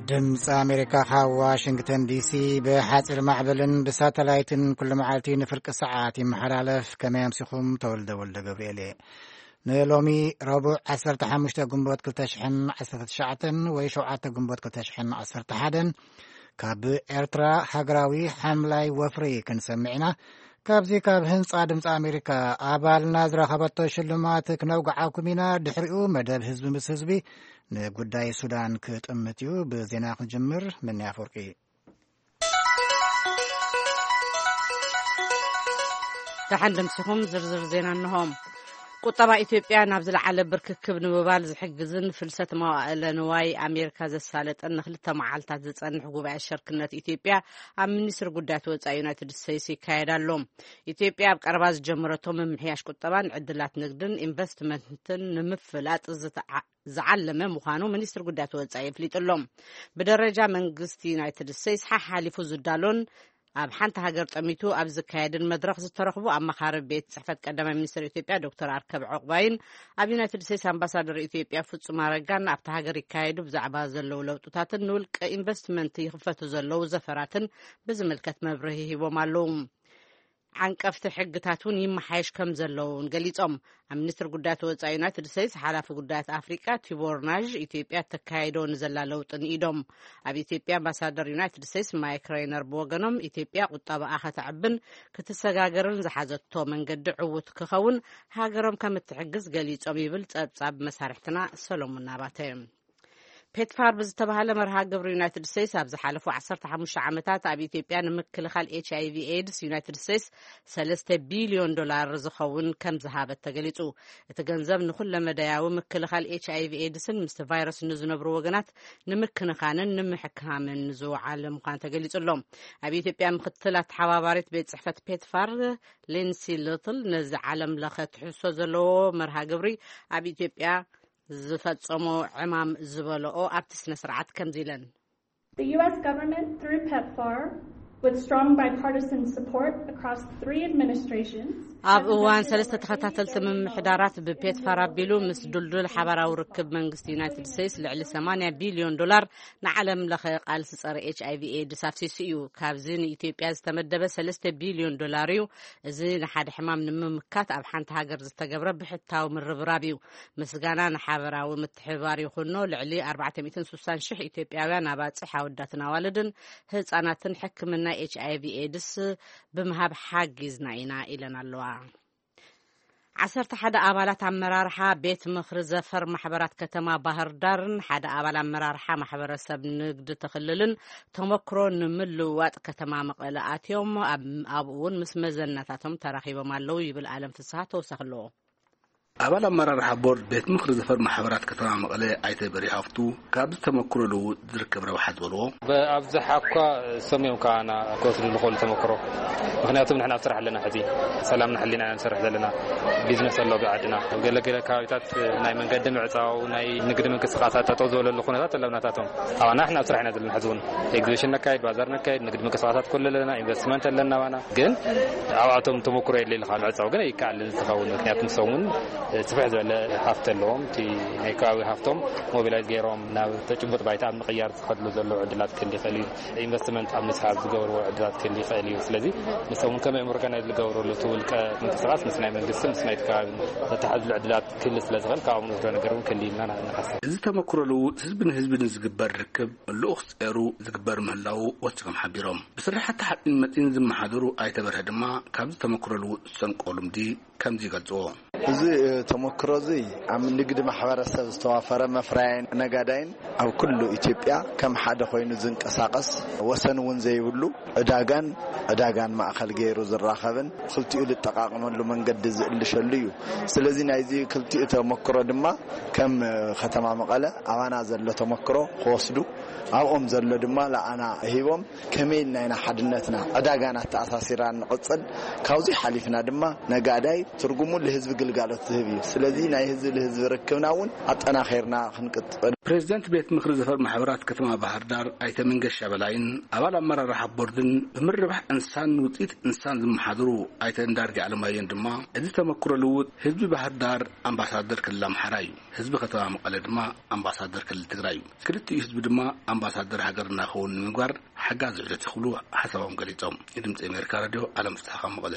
ድምፂ ኣሜሪካ ካብ ዋሽንግተን ዲሲ ብሓፂር ማዕበልን ብሳተላይትን ኩሉ መዓልቲ ንፍርቂ ሰዓት ይመሓላለፍ። ከመይ ኣምሲኹም? ተወልደ ወልደ ገብርኤል እየ። ንሎሚ ረቡዕ ዓሰርተ ሓሙሽተ ግንቦት ክልተ ሽሕን ዓሰርተ ትሽዓተን ወይ ሸውዓተ ግንቦት ክልተ ሽሕን ዓሰርተ ሓደን ካብ ኤርትራ ሃገራዊ ሓምላይ ወፍሪ ክንሰምዕ ኢና። ካብዚ ካብ ህንጻ ድምፂ ኣሜሪካ ኣባልና ዝረኸበቶ ሽልማት ክነውግዓኩም ኢና። ድሕሪኡ መደብ ህዝቢ ምስ ህዝቢ ንጉዳይ ሱዳን ክጥምት እዩ። ብዜና ክንጅምር። ምንያ ኣፈወርቂ። ደሓን ደምሲኹም። ዝርዝር ዜና እንሆ። ቁጠባ ኢትዮጵያ ናብ ዝለዓለ ብርክክብ ንምባል ዝሕግዝን ፍልሰት መዋእለ ንዋይ ኣሜሪካ ዘሳለጠን ንክልተ መዓልታት ዝጸንሕ ጉባኤ ሸርክነት ኢትዮጵያ ኣብ ሚኒስትሪ ጉዳያት ወጻኢ ዩናይትድ ስቴትስ ይካየድ ኣሎ። ኢትዮጵያ ኣብ ቀረባ ዝጀመረቶ ምምሕያሽ ቁጠባን ዕድላት ንግድን ኢንቨስትመንትን ንምፍላጥ ዝተዓ- ዝዓለመ ምዃኑ ሚኒስትሪ ጉዳያት ወጻኢ ኣፍሊጡ ኣሎ። ብደረጃ መንግስቲ ዩናይትድ ስቴትስ ሓሓሊፉ ዝዳሎን ኣብ ሓንቲ ሃገር ጠሚቱ ኣብ ዝካየድን መድረኽ ዝተረኽቡ ኣማኻሪ ቤት ጽሕፈት ቀዳማይ ሚኒስትር ኢትዮጵያ ዶክተር ኣርከብ ዑቕባይን ኣብ ዩናይትድ ስቴትስ ኣምባሳደር ኢትዮጵያ ፍጹም ኣረጋን ኣብቲ ሃገር ይካየዱ ብዛዕባ ዘለዉ ለውጥታትን ንውልቀ ኢንቨስትመንት ይኽፈቱ ዘለዉ ዘፈራትን ብዝምልከት መብርሂ ሂቦም ኣለዉ። ዓንቀፍቲ ሕግታት እውን ይመሓየሽ ከም ዘለዉ እውን ገሊጾም። ኣብ ሚኒስትሪ ጉዳያት ወጻኢ ዩናይትድ ስቴትስ ሓላፊ ጉዳያት ኣፍሪቃ ቲቦር ናዥ ኢትዮጵያ ተካይዶ ንዘላ ለውጢ ንኢዶም። ኣብ ኢትዮጵያ ኣምባሳደር ዩናይትድ ስቴትስ ማይክ ሬይነር ብወገኖም ኢትዮጵያ ቁጠባኣ ከተዕብን ክትሰጋገርን ዝሓዘቶ መንገዲ ዕዉት ክኸውን ሃገሮም ከም እትሕግዝ ገሊጾም ይብል ጸብጻብ መሳርሕትና ሰሎሞን ናባተ። ፔትፋር ብዝተባሃለ መርሃ ግብሪ ዩናይትድ ስቴትስ ኣብ ዝሓለፉ ዓሰርተ ሓሙሽተ ዓመታት ኣብ ኢትዮጵያ ንምክልኻል ኤች ኣይ ቪ ኤድስ ዩናይትድ ስቴትስ ሰለስተ ቢልዮን ዶላር ዝኸውን ከም ዝሃበት ተገሊጹ። እቲ ገንዘብ ንኹለ መዳያዊ ምክልኻል ኤች ኣይ ቪ ኤድስን ምስቲ ቫይረስ ንዝነብሩ ወገናት ንምክንኻንን ንምሕክሃምን ዝወዓለ ምዃኑ ተገሊጹ ኣሎ። ኣብ ኢትዮጵያ ምክትል ኣተሓባባሪት ቤት ጽሕፈት ፔትፋር ሊንሲ ልትል ነዚ ዓለም ለኸ ትሕዝቶ ዘለዎ መርሃ ግብሪ ኣብ ኢትዮጵያ ዝፈጸሞ ዕማም ዝበለኦ ኣብቲ ስነ ስርዓት ከምዚ ኢለን። The U S government, through PEPFAR, with strong bipartisan support across three administrations, ኣብ እዋን ሰለስተ ተኸታተልቲ ምምሕዳራት ብፔትፋር ኣቢሉ ምስ ዱልዱል ሓባራዊ ርክብ መንግስቲ ዩናይትድ ስቴትስ ልዕሊ ሰማንያ ቢልዮን ዶላር ንዓለም ለኸ ቃልሲ ጸረ ኤች ኣይ ቪ ኤድስ ኣፍሲሱ እዩ። ካብዚ ንኢትዮጵያ ዝተመደበ ሰለስተ ቢልዮን ዶላር እዩ። እዚ ንሓደ ሕማም ንምምካት ኣብ ሓንቲ ሃገር ዝተገብረ ብሕታዊ ምርብራብ እዩ። ምስጋና ንሓበራዊ ምትሕብባር ይኹኖ፣ ልዕሊ ኣርባዕተ ሚእትን ስሳን ሽሕ ኢትዮጵያውያን ኣባጽሕ ኣወዳትን ኣዋልድን ህጻናትን ሕክምና ኤች ኣይ ቪ ኤድስ ብምሃብ ሓጊዝና ኢና ኢለን ኣለዋ። ዓሰርተ ሓደ ኣባላት ኣመራርሓ ቤት ምኽሪ ዘፈር ማሕበራት ከተማ ባህር ዳርን ሓደ ኣባል ኣመራርሓ ማሕበረሰብ ንግዲ ተኽልልን ተመክሮ ንምልውዋጥ ከተማ መቐለ ኣትዮም ኣብ- ኣብኡ እውን ምስ መዘናታቶም ተራኺቦም ኣለዉ ይብል ኣለም ፍስሃ ተወሳኺ ኣለዎ። ኣባል ኣመራርሓ ቦርድ ቤት ምኽሪ ዘፈር ማሕበራት ከተማ መቐለ ኣይተ በሪሃ ሃፍቱ ካብዚ ተመክሮ ልውውጥ ዝርከብ ረብሓ ዝበልዎ ኣብዝሓ እኳ ሰም እዮም ከዓና ክወስዱ ዝኽእሉ ተመክሮ። ምኽንያቱም ንሕና ኣብ ስራሕ ኣለና፣ ሕዚ ሰላምና ሕሊና ኢና ንሰርሕ ዘለና። ቢዝነስ ኣሎ ብዓድና። ኣብ ገለገለ ከባቢታት ናይ መንገዲ ምዕፃው፣ ናይ ንግዲ ምንቅስቃሳት ጠጠው ዝበለሉ ኩነታት ኣለውናታቶም። ኣባና ንሕና ኣብ ስራሕ ኢና ዘለና። ሕዚ እውን ኤግዚቢሽን ነካይድ፣ ባዛር ነካይድ፣ ንግዲ ምንቅስቃሳት ኩሉ ኣለና፣ ኢንቨስትመንት ኣለና። ኣባና ግን ኣብኣቶም ተመክሮ የለ ኢልካ ምዕፃው ግን ኣይከኣልን ዝኸውን። ምክንያቱ ንሶም እውን ስፍሕ ዝበለ ሃፍቲ ኣለዎም። እቲ ናይ ከባቢ ሃፍቶም ሞቢላይዝ ገይሮም ናብ ተጭቡጥ ባይታ ኣብ ምቕያር ዝኸድሉ ዘለዉ ዕድላት ክህሉ ይኽእል እዩ። ኢንቨስትመንት ኣብ ምስሓብ ዝገብርዎ ዕድላት ክህሉ ይኽእል እዩ። ስለዚ ንሶም እውን ከመይ ኦርጋናይዝ ዝገብርሉ እቲ ውልቀ ምንቅስቃስ ምስ ናይ መንግስቲ ምስ ናይቲ ከባቢ ዘተሓዝሉ ዕድላት ክህሉ ስለ ዝኽእል ካብኦም ንወስዶ ነገር እውን ክህሉ ኢልና ንሓስብ። እዚ ተመክሮ ልውውጥ ህዝቢ ንህዝቢ ንዝግበር ርክብ ልኡኽ ጸሩ ዝግበር ምህላዉ ወሲኾም ሓቢሮም። ብስራሕቲ ሓፂን መፂን ዝመሓደሩ ኣይተ በርሀ ድማ ካብዚ ተመክሮ ልውውጥ ዝሰንቆ ልምዲ ከምዚ ይገልፅዎ። እዚ ተመክሮ እዚ ኣብ ንግዲ ማሕበረሰብ ዝተዋፈረ መፍረያይን ነጋዳይን ኣብ ኩሉ ኢትዮጵያ ከም ሓደ ኮይኑ ዝንቀሳቐስ ወሰን እውን ዘይብሉ ዕዳጋን ዕዳጋን ማእኸል ገይሩ ዝራኸብን ክልቲኡ ዝጠቃቀመሉ መንገዲ ዝእልሸሉ እዩ። ስለዚ ናይዚ ክልቲኡ ተመክሮ ድማ ከም ከተማ መቐለ ኣባና ዘሎ ተመክሮ ክወስዱ ኣብኦም ዘሎ ድማ ለኣና ሂቦም ከመይ ኢልና ኢና ሓድነትና ዕዳጋና ተኣሳሲራ ንቕፅል ካብዚ ሓሊፍና ድማ ነጋዳይ ትርጉሙ ንህዝቢ ግልጋሎት ዝህብ እዩ። ስለዚ ናይ ህዝቢ ንህዝቢ ርክብና እውን ኣጠናኺርና ክንቅጥል። ፕሬዚደንት ቤት ምኽሪ ዘፈር ማሕበራት ከተማ ባህር ዳር ኣይተ መንገሻ በላይን ኣባል ኣመራርሓ ቦርድን ብምርባሕ እንስሳን ውፅኢት እንስሳን ዝመሓድሩ ኣይተ እንዳርጌ ኣለማየን ድማ፣ እዚ ተመክሮ ልውጥ ህዝቢ ባህር ዳር ኣምባሳደር ክልል ኣምሓራ እዩ፣ ህዝቢ ከተማ መቐለ ድማ ኣምባሳደር ክልል ትግራይ እዩ። ክልቲኡ ህዝቢ ድማ ኣምባሳደር ሃገርና ክኸውን ንምግባር ሓጋዚ ዑደት ክብሉ ሓሳቦም ገሊጾም። ንድምፂ ኣሜሪካ ራድዮ ኣለም ፍስሓ ካብ መቐለ።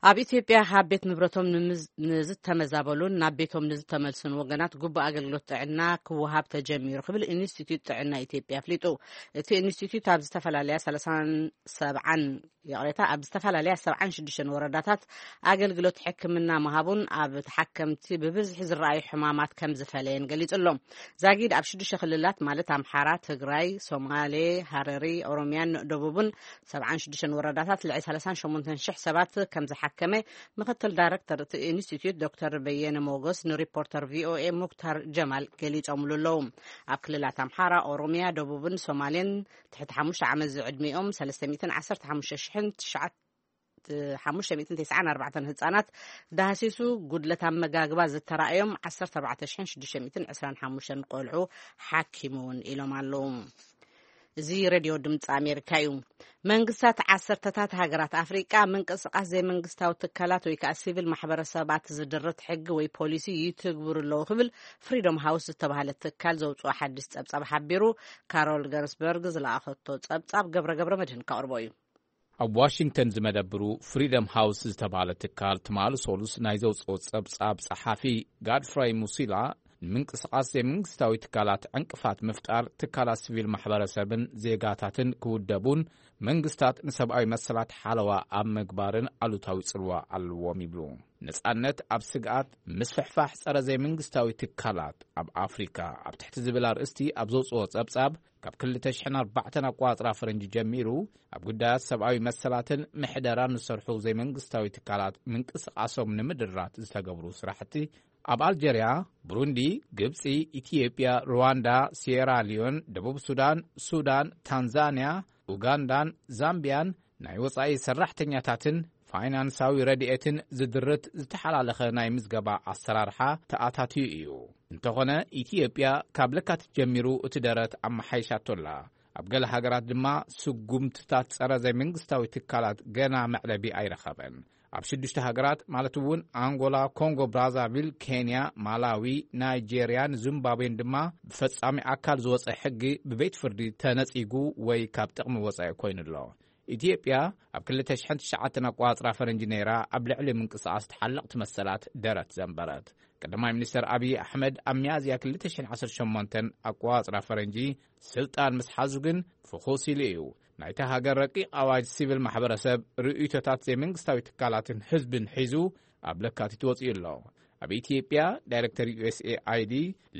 ኣብ ኢትዮጵያ ካብ ቤት ንብረቶም ንምዝ- ንዝተመዛበሉን ናብ ቤቶም ንዝተመልሱን ወገናት ግቡእ ኣገልግሎት ጥዕና ክወሃብ ተጀሚሩ ክብል ኢንስቲትዩት ጥዕና ኢትዮጵያ ኣፍሊጡ። እቲ ኢንስቲትዩት ኣብ ዝተፈላለያ ሰላሳን ሰብዓን ይቕሬታ ኣብ ዝተፈላለያ ሰብዓን ሽዱሽተን ወረዳታት ኣገልግሎት ሕክምና ምሃቡን ኣብ ተሓከምቲ ብብዝሒ ዝረኣዩ ሕማማት ከም ዝፈለየን ገሊጹ ኣሎ። ዛጊድ ኣብ ሽዱሽተ ክልላት ማለት ኣምሓራ፣ ትግራይ፣ ሶማሌ፣ ሃረሪ፣ ኦሮሚያን ደቡብን ሰብዓን ሽዱሽተን ወረዳታት ልዕሊ ሰላሳን ሸሞንተን ሽሕ ሰባት ከም ዝሓከመ ምክትል ዳይሬክተር እቲ ኢንስቲትዩት ዶክተር በየነ ሞጎስ ንሪፖርተር ቪኦኤ ሙክታር ጀማል ገሊጾምሉ ኣለዉ። ኣብ ክልላት ኣምሓራ፣ ኦሮሚያ፣ ደቡብን ሶማሌን ትሕቲ ሓሙሽተ ዓመት ዝዕድሚኦም ሰለስተ ሚእትን ዓሰርተ ሓሙሽተ ሽሕን ትሽዓተ ሓሙሽተ ሚእትን ተስዓን ኣርባዕተን ህጻናት ዳህሲሱ፣ ጉድለት ኣመጋግባ ዝተራእዮም ዓሰርተ ኣርባዕተ ሽሕን ሽዱሽተ ሚእትን ዕስራን ሓሙሽተን ቆልዑ ሓኪሙ እውን ኢሎም ኣለዉ። እዚ ሬድዮ ድምፂ ኣሜሪካ እዩ። መንግስታት ዓሰርተታት ሃገራት ኣፍሪቃ ምንቅስቃስ ዘይመንግስታዊ ትካላት ወይ ከዓ ሲቪል ማሕበረሰባት ዝድርት ሕጊ ወይ ፖሊሲ ይትግብሩ ኣለዉ ክብል ፍሪዶም ሃውስ ዝተባሃለ ትካል ዘውፅኦ ሓድሽ ፀብፃብ ሓቢሩ። ካሮል ገርስበርግ ዝለኣኸቶ ፀብፃብ ገብረ ገብረ መድህን ከቕርቦ እዩ። ኣብ ዋሽንግተን ዝመደብሩ ፍሪደም ሃውስ ዝተባሃለ ትካል ትማሊ ሶሉስ ናይ ዘውፅኦ ፀብፃብ ፀሓፊ ጋድፍራይ ሙሲላ፣ ንምንቅስቃስ ዘይመንግስታዊ ትካላት ዕንቅፋት ምፍጣር፣ ትካላት ሲቪል ማሕበረሰብን ዜጋታትን ክውደቡን መንግስታት ንሰብኣዊ መሰላት ሓለዋ ኣብ ምግባርን ኣሉታዊ ጽልዋ ኣለዎም ይብሉ። ነጻነት ኣብ ስግኣት፣ ምስፍሕፋሕ ጸረ ዘይመንግስታዊ ትካላት ኣብ ኣፍሪካ ኣብ ትሕቲ ዝብል ኣርእስቲ ኣብ ዘውፅኦ ጸብጻብ፣ ካብ ክልተ ሽሕን ኣርባዕተን ኣቋጽራ ፈረንጂ ጀሚሩ ኣብ ጉዳያት ሰብኣዊ መሰላትን ምሕደራን ዝሰርሑ ዘይመንግስታዊ ትካላት ምንቅስቃሶም ንምድራት ዝተገብሩ ስራሕቲ ኣብ ኣልጀርያ፣ ብሩንዲ፣ ግብጺ፣ ኢትዮጵያ፣ ሩዋንዳ፣ ሲየራ ሊዮን፣ ደቡብ ሱዳን፣ ሱዳን፣ ታንዛንያ፣ ኡጋንዳን ዛምቢያን ናይ ወጻኢ ሰራሕተኛታትን ፋይናንሳዊ ረድኤትን ዝድርት ዝተሓላለኸ ናይ ምዝገባ ኣሰራርሓ ተኣታትዩ እዩ። እንተኾነ፣ ኢትዮጵያ ካብ ለካቲት ጀሚሩ እቲ ደረት ኣመሓይሻቶ ኣላ። ኣብ ገለ ሃገራት ድማ ስጉምትታት ጸረ ዘይመንግስታዊ ትካላት ገና መዕለቢ ኣይረኸበን። ኣብ ሽዱሽተ ሃገራት ማለት እውን ኣንጎላ፣ ኮንጎ ብራዛቪል፣ ኬንያ፣ ማላዊ፣ ናይጄርያን ዚምባብዌን ድማ ብፈጻሚ ኣካል ዝወጸ ሕጊ ብቤት ፍርዲ ተነጺጉ ወይ ካብ ጥቕሚ ወጻኢ ኮይኑ ኣሎ። ኢትዮጵያ ኣብ ክልተ ሽሕን ትሽዓተን ኣቋጽራ ፈረንጂ ነይራ ኣብ ልዕሊ ምንቅስቃስ ተሓለቕቲ መሰላት ደረት ዘንበረት። ቀዳማይ ሚኒስተር ኣብይ ኣሕመድ ኣብ ሚያዝያ ክልተ ሽሕን ዓሰርተ ሸሞንተን ኣቋጽራ ፈረንጂ ስልጣን ምስ ሓዙ ግን ፍኹስ ኢሉ እዩ። ናይታ ሃገር ረቂቕ ኣዋጅ ሲቪል ማሕበረሰብ ርእይቶታት ዘይመንግስታዊ ትካላትን ህዝብን ሒዙ ኣብ ለካቲት ወጺኡ ኣሎ። ኣብ ኢትዮጵያ ዳይሬክተር ዩ ኤስ ኤ ኣይ ዲ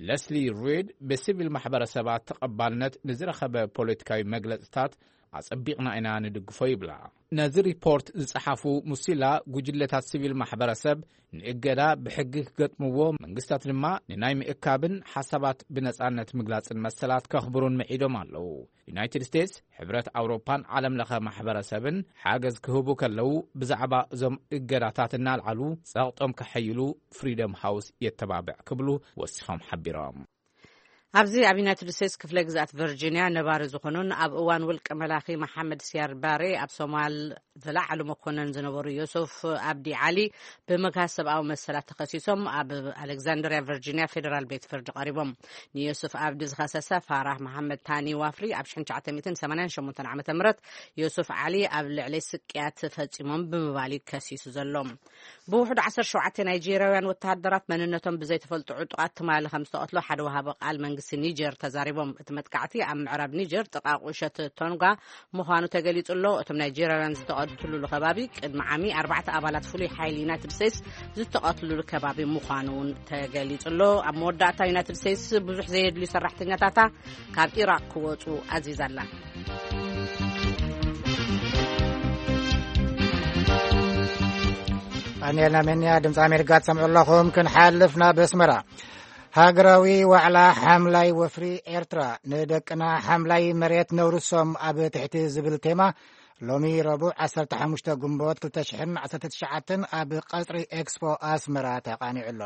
ለስሊ ሪድ ብሲቪል ማሕበረሰባት ተቐባልነት ንዝረኸበ ፖለቲካዊ መግለጽታት ኣጸቢቕና ኢና ንድግፎ ይብላ። ነዚ ሪፖርት ዝጸሓፉ ሙሲላ፣ ጉጅለታት ሲቪል ማሕበረሰብ ንእገዳ ብሕጊ ክገጥምዎ፣ መንግስታት ድማ ንናይ ምእካብን ሓሳባት ብነጻነት ምግላጽን መሰላት ከኽብሩን ምዒዶም ኣለዉ። ዩናይትድ ስቴትስ፣ ሕብረት ኣውሮፓን ዓለም ለኸ ማሕበረሰብን ሓገዝ ክህቡ ከለዉ፣ ብዛዕባ እዞም እገዳታት እናልዓሉ ጸቕጦም ከሐይሉ ፍሪደም ሃውስ የተባብዕ ክብሉ ወሲኾም ሓቢሮም። ኣብዚ ኣብ ዩናይትድ ስቴትስ ክፍለ ግዝኣት ቨርጂንያ ነባሪ ዝኾኑን ኣብ እዋን ውልቀ መላኺ መሓመድ ሲያድ ባሬ ኣብ ሶማል ዝለዓሉ መኮነን ዝነበሩ ዮሱፍ ኣብዲ ዓሊ ብመግሃስ ሰብኣዊ መሰላት ተኸሲሶም ኣብ ኣሌክዛንድሪያ ቨርጂንያ ፌደራል ቤት ፍርዲ ቀሪቦም። ንዮሱፍ ኣብዲ ዝኸሰሰ ፋራህ መሓመድ ታኒ ዋፍሪ ኣብ ሽሕን ትሽዓተ ሚእትን ሰማንያን ሸሞንተን ዓመተ ምህረት ዮሱፍ ዓሊ ኣብ ልዕሊ ስቅያት ፈጺሞም ብምባል እዩ ከሲሱ ዘሎ። ብውሕዱ ዓሰርተ ሸውዓተ ናይጄርያውያን ወተሃደራት መንነቶም ብዘይተፈልጡ ዕጡቓት ትማሊ ከም ዝተቐትሉ ሓደ ወሃቢ ቃል መንግስቲ ኒጀር ተዛሪቦም። እቲ መጥቃዕቲ ኣብ ምዕራብ ኒጀር ጥቓ ቁሸት ቶንጋ ምዃኑ ተገሊጹ ኣሎ። እቶም ናይጄርያውያን ዝተቐትሉሉ ከባቢ ቅድሚ ዓሚ ኣርባዕተ ኣባላት ፍሉይ ሓይሊ ዩናይትድ ስቴትስ ዝተቐትሉሉ ከባቢ ምዃኑ እውን ተገሊጹ ኣሎ። ኣብ መወዳእታ ዩናይትድ ስቴትስ ብዙሕ ዘየድልዩ ሰራሕተኛታታ ካብ ኢራቕ ክወጹ ኣዚዛ ኣላ። ኣንየልና ሜንያ ድምፂ ኣሜሪካ ትሰምዑ ኣለኹም። ክንሓልፍ ናብ ኣስመራ። ሃገራዊ ዋዕላ ሓምላይ ወፍሪ ኤርትራ ንደቅና ሓምላይ መሬት ነውርሶም ኣብ ትሕቲ ዝብል ቴማ ሎሚ ረቡዕ ዓሰርተ ሓሙሽተ ግንቦት ክልተ ሽሕን ዓሰርተ ትሽዓተን ኣብ ቀጽሪ ኤክስፖ ኣስመራ ተቓኒዑ ኣሎ።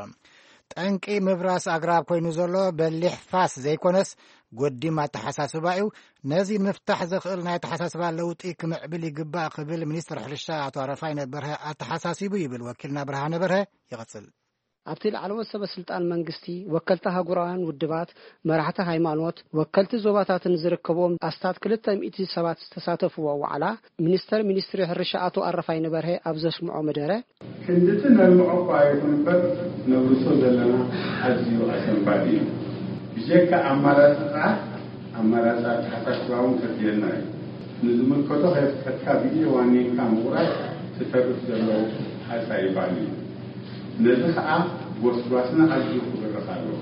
ጠንቂ ምብራስ ኣግራብ ኮይኑ ዘሎ በሊሕ ፋስ ዘይኮነስ፣ ጎዲም ኣተሓሳስባ እዩ። ነዚ ንምፍታሕ ዘኽእል ናይ ኣተሓሳስባ ለውጢ ክምዕብል ይግባእ ክብል ሚኒስትር ሕርሻ ኣቶ ኣረፋይነ በርሀ ኣተሓሳሲቡ ይብል ወኪልና ብርሃነ በርሀ። ይቐጽል። ኣብቲ ላዕለዎት ሰበ ስልጣን መንግስቲ፣ ወከልቲ ሃገራውያን ውድባት፣ መራሕቲ ሃይማኖት፣ ወከልቲ ዞባታትን ዝርከብዎም ኣስታት ክልተ ሚእቲ ሰባት ዝተሳተፍዎ ዋዕላ፣ ሚኒስተር ሚኒስትሪ ሕርሻ ኣቶ ኣረፋይነ በርሀ ኣብ ዘስምዖ መደረ፣ ክንድቲ ነልምዖ እኳ ይኹን እምበር፣ ነብርሶ ዘለና ኣዝዩ ኣሰንባዲ እዩ። ብጀካ ኣማራጺ ጥራሕ፣ ኣማራጺ ኣተሓሳስባ እውን ከድልየና እዩ። ንዝምልከቶ ከየፍቀድካ ብኢድ ዋኒንካ ምቑራጽ፣ ትተርፍ ዘሎ ሓጻይ ባኒ እዩ። ነዚ ኸኣ ጎስጓስና ኣዝዩ ክብርኽ ኣለዎ።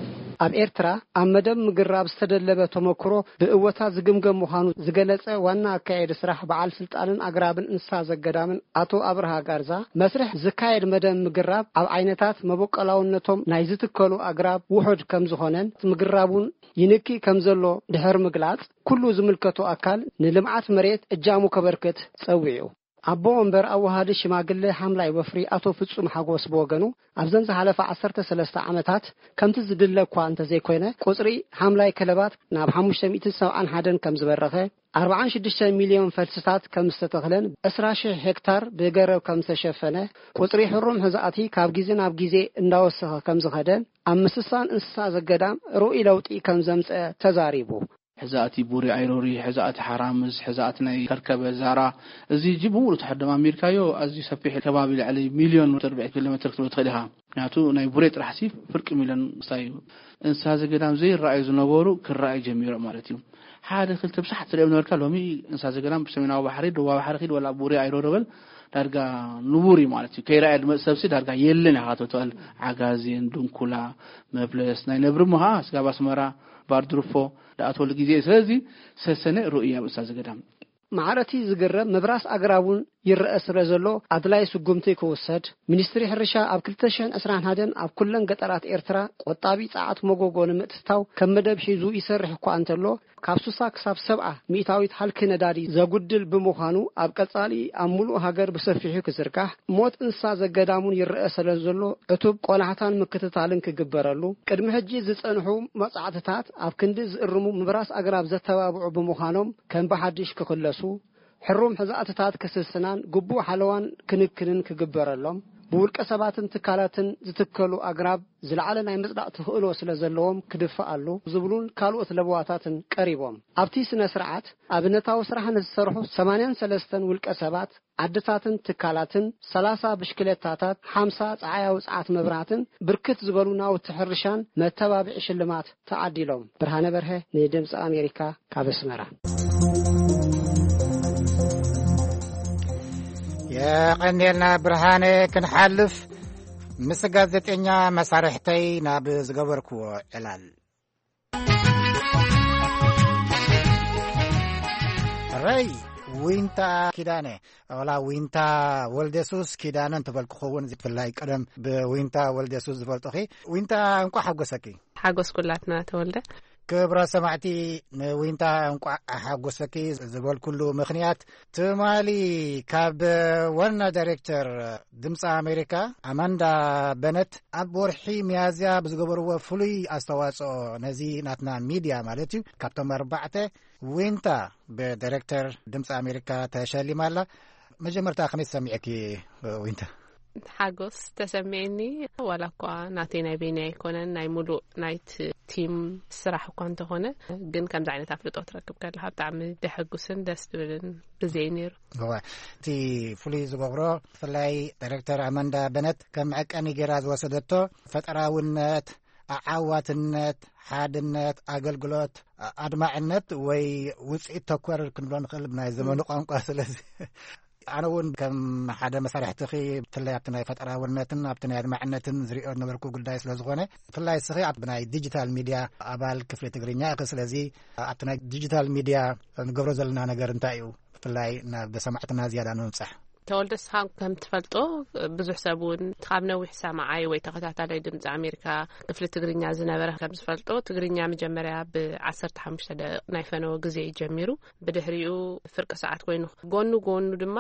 ኣብ ኤርትራ ኣብ መደብ ምግራብ ዝተደለበ ተመክሮ ብእወታ ዝግምገም ምዃኑ ዝገለጸ ዋና ኣካያዲ ስራሕ በዓል ስልጣንን ኣግራብን እንስሳ ዘገዳምን ኣቶ ኣብርሃ ጋርዛ፣ መስርሕ ዝካየድ መደብ ምግራብ ኣብ ዓይነታት መበቆላውነቶም ናይ ዝትከሉ ኣግራብ ውሑድ ከም ዝኾነን፣ ምግራብ እውን ይንኪ ከም ዘሎ ድሕር ምግላጽ፣ ኩሉ ዝምልከቶ ኣካል ንልምዓት መሬት እጃሙ ከበርክት ጸዊዑ። ኣቦ ወንበር ኣወሃዲ ሽማግለ ሓምላይ ወፍሪ ኣቶ ፍጹም ሓጎስ ብወገኑ፣ ኣብዘን ዝሓለፋ ዓሰርተ ሰለስተ ዓመታት ከምቲ ዝድለ እኳ እንተዘይኮይነ፣ ቁጽሪ ሓምላይ ከለባት ናብ ሓሙሽተ ሚእትን ሰብዓን ሓደን ከም ዝበረኸ፣ ኣርብዓን ሽዱሽተ ሚልዮን ፈልስታት ከም ዝተተኽለን፣ ዕስራ ሽሕ ሄክታር ብገረብ ከም ዝተሸፈነ፣ ቁጽሪ ሕሩም ሕዛእቲ ካብ ግዜ ናብ ግዜ እንዳወሰኸ ከም ዝኸደን፣ ኣብ ምስሳን እንስሳ ዘገዳም ርኡይ ለውጢ ከም ዘምጸ ተዛሪቡ። ሕዛእቲ ቡሪ ኣይሮሪ፣ ሕዛእቲ ሓራምዝ፣ ሕዛእቲ ናይ ከርከበ ዛራ፣ እዚ እጂ ብምሉእ ተሓደማሚርካዮ ኣዝዩ ሰፊሕ ከባቢ፣ ልዕሊ ሚልዮን ርብዒ ኪሎ ሜትር ክትብል ትኽእል ኢኻ። ምክንያቱ ናይ ቡሬ ጥራሕሲ ፍርቂ ሚልዮን ክስታይ እዩ። እንስሳ ዘገዳም ዘይረኣዩ ዝነበሩ ክረኣዩ ጀሚሮም ማለት እዩ። ሓደ ክልተ ብሻሕ ትሪኦም ነበርካ፣ ሎሚ እንስሳ ዘገዳም ብሰሜናዊ ባሕሪ፣ ደቡባዊ ባሕሪ ኪድ፣ ወላ ቡሬ ኣይሮሪ በል፣ ዳርጋ ንቡር እዩ ማለት እዩ። ከይረኣየ ዝመጽእ ሰብሲ ዳርጋ የለን ኢኻ ክትብል ትኽእል። ዓጋዜን፣ ድንኩላ፣ መፍለስ፣ ናይ ነብሪ እሞ ኸዓ ስጋብ ኣስመራ፣ ባርድርፎ፣ ደኣ ትወሉ ግዜ እዩ። ስለዚ ሰሰነ ርኡይ ኣብ እንስሳ ዘገዳም። ማዕረቲ ዝግረም ምብራስ ኣግራብ እውን ይረአ ስለ ዘሎ ኣድላይ ስጉምቲ ክውሰድ፣ ሚኒስትሪ ሕርሻ ኣብ ክልተ ሽሕን ዕስራን ሓደን ኣብ ኩለን ገጠራት ኤርትራ ቆጣቢ ጸዓት መጎጎ ንምእትታው ከም መደብ ሒዙ ይሰርሕ እኳ እንተሎ፣ ካብ ስሳ ክሳብ ሰብዓ ሚእታዊት ሃልኪ ነዳዲ ዘጉድል ብምዃኑ፣ ኣብ ቀጻሊ ኣብ ምሉእ ሃገር ብሰፊሑ ክዝርጋሕ፣ ሞት እንስሳ ዘገዳሙን ይረአ ስለ ዘሎ ዕቱብ ቆላሕታን ምክትታልን ክግበረሉ፣ ቅድሚ ሕጂ ዝጸንሑ መጻዕትታት ኣብ ክንዲ ዝእርሙ ምብራስ ኣግራብ ዘተባብዑ ብምዃኖም ከም ብሓድሽ ክኽለሱ፣ ሕሩም ሕዛእትታት ክስስናን ግቡእ ሓለዋን ክንክንን ክግበረሎም፣ ብውልቀ ሰባትን ትካላትን ዝትከሉ ኣግራብ ዝለዓለ ናይ ምጽዳቕ ተኽእሎ ስለ ዘለዎም ክድፈኣሉ ዝብሉን ካልኦት ለበዋታትን ቀሪቦም። ኣብቲ ስነ ስርዓት ኣብነታዊ ስራሕ ንዝሰርሑ ሰማንያን ሰለስተን ውልቀ ሰባት፣ ዓድታትን ትካላትን፣ ሰላሳ ብሽክለታታት፣ ሓምሳ ጸዓያዊ ጸዓት መብራህትን ብርክት ዝበሉ ናውቲ ሕርሻን መተባብዒ ሽልማት ተዓዲሎም። ብርሃነ በርሀ ንድምፂ ኣሜሪካ ካብ ኣስመራ። የቐንየልና ብርሃነ። ክንሓልፍ ምስ ጋዜጠኛ መሳርሕተይ ናብ ዝገበርክዎ ዕላል። ረይ ዊንታ ኪዳነ፣ ወላ ዊንታ ወልደሱስ ኪዳነ እንተበልኩ ክኸውን፣ ብፍላይ ቀደም ብዊንታ ወልደሱስ ዝፈልጡኺ። ዊንታ፣ እንቋዕ ሓጎሰኪ። ሓጎስ ኩላትና ተወልደ። ክብራ ሰማዕቲ፣ ንዊንታ እንቋዕ ሓጎሰኪ ዝበልኩሉ ምኽንያት፣ ትማሊ ካብ ዋና ዳይሬክተር ድምፂ ኣሜሪካ ኣማንዳ በነት ኣብ ወርሒ ሚያዝያ ብዝገበርዎ ፍሉይ ኣስተዋፅኦ ነዚ ናትና ሚድያ ማለት እዩ፣ ካብቶም ኣርባዕተ ዊንታ ብዳይሬክተር ድምፂ ኣሜሪካ ተሸሊማ ኣላ። መጀመርታ ከመይ ተሰሚዕኪ ዊንታ? ሓጎስ ተሰሚዕኒ። ዋላ እኳ ናተይ ናይ በይነይ ኣይኮነን፣ ናይ ሙሉእ ናይቲ ቲም ስራሕ እኳ እንተኾነ፣ ግን ከምዚ ዓይነት ኣፍልጦ ትረክብ ከለኻ ብጣዕሚ ደሐጉስን ደስ ዝብልን ግዜ እዩ ነይሩ። እወ፣ እቲ ፍሉይ ዝገብሮ፣ ብፍላይ ዳይሬክተር ኣማንዳ በነት ከም መዐቀኒ ገይራ ዝወሰደቶ ፈጠራውነት፣ ኣዓዋትነት፣ ሓድነት፣ ኣገልግሎት፣ ኣድማዕነት ወይ ውፅኢት ተኮር ክንብሎ ንኽእል ብናይ ዘመኑ ቋንቋ። ስለዚ ኣነ እውን ከም ሓደ መሳርሕትኺ፣ ብፍላይ ኣብቲ ናይ ፈጠራውነትን ኣብቲ ናይ ኣድማዕነትን ዝሪኦ ዝነበርኩ ጉዳይ ስለ ዝኾነ፣ ብፍላይ እስኺ ኣብ ናይ ዲጂታል ሚድያ ኣባል ክፍሊ ትግርኛ ኢኺ። ስለዚ ኣብቲ ናይ ዲጂታል ሚድያ ንገብሮ ዘለና ነገር እንታይ እዩ? ብፍላይ ናብ ሰማዕትና ዝያዳ ንምብጻሕ። ተወልደ፣ ንስኻ ከም ትፈልጦ፣ ብዙሕ ሰብ እውን ካብ ነዊሕ ሰማዓይ ወይ ተኸታታላይ ድምፂ ኣሜሪካ ክፍሊ ትግርኛ ዝነበረ ከም ዝፈልጦ፣ ትግርኛ መጀመርያ ብ15 ደቂቕ ናይ ፈነወ ግዜ እዩ ጀሚሩ። ብድሕሪኡ ፍርቂ ሰዓት ኮይኑ፣ ጎኑ ጎኑ ድማ